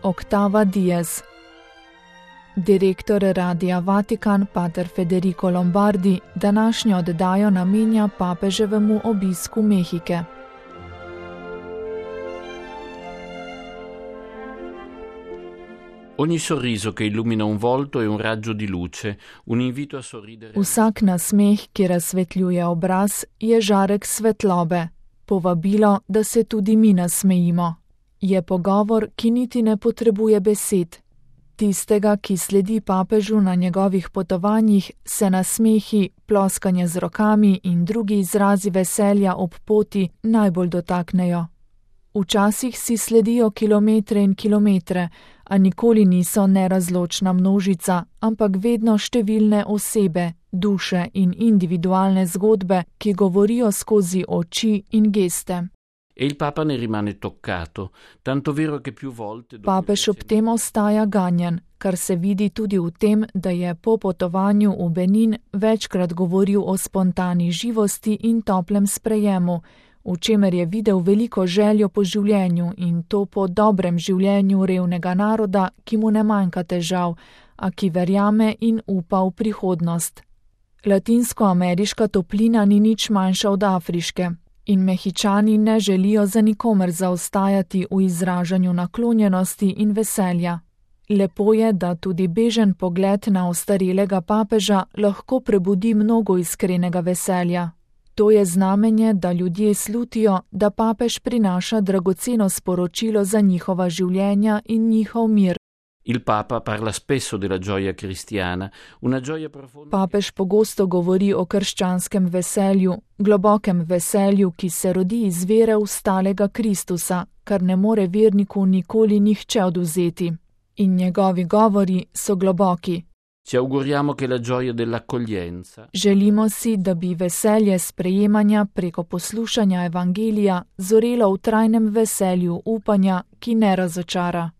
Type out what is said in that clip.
Octava Diez. Direktor Radia Vatikan pater Federico Lombardi današnjo oddajo namenja papeževemu obisku Mehike. Ogni sorriso che illumina un volto è un raggio di luce, un invito a sorridere. Vsak nasmeh, ki razsvetljuje obraz, je žarek svetlobe, povabilo, da se tudi mi nasmejimo. Je pogovor, ki niti ne potrebuje besed. Tistega, ki sledi papežu na njegovih potovanjih, se nasmehi, ploskanje z rokami in drugi izrazi veselja ob poti najbolj dotaknejo. Včasih si sledijo kilometre in kilometre, a nikoli niso nerazločna množica, ampak vedno številne osebe, duše in individualne zgodbe, ki govorijo skozi oči in geste. E il Papa ne rimane toccato, tanto vero che più volte. Papež ob tem ostaja ganjen, kar se vidi tudi v tem, da je po potovanju v Benin večkrat govoril o spontani živosti in toplem sprejemu, v čemer je videl veliko željo po življenju in to po dobrem življenju revnega naroda, ki mu ne manjka težav, a ki verjame in upa v prihodnost. Latinskoameriška toplina ni nič manjša od afriške in Mehičani ne želijo za nikomer zaostajati v izražanju naklonjenosti in veselja. Lepo je, da tudi bežen pogled na ostarelega papeža lahko prebudi mnogo iskrenega veselja. To je znamenje, da ljudje slutijo, da papež prinaša dragoceno sporočilo za njihova življenja in njihov mir. Il Papa parla spesso della gioia cristiana, una gioia profonda. Papež pogosto govori o krščanskem veselju, globokem veselju, ki se rodi iz vere v stalega Kristusa, kar ne more verniku nikoli nihče odvzeti. In njegovi govori so globoki. Ci auguriamo che la gioia dell'accoglienza. Želimo si, da bi veselje sprejemanja preko poslušanja evangelija zorelo v trajnem veselju upanja, ki ne razočara.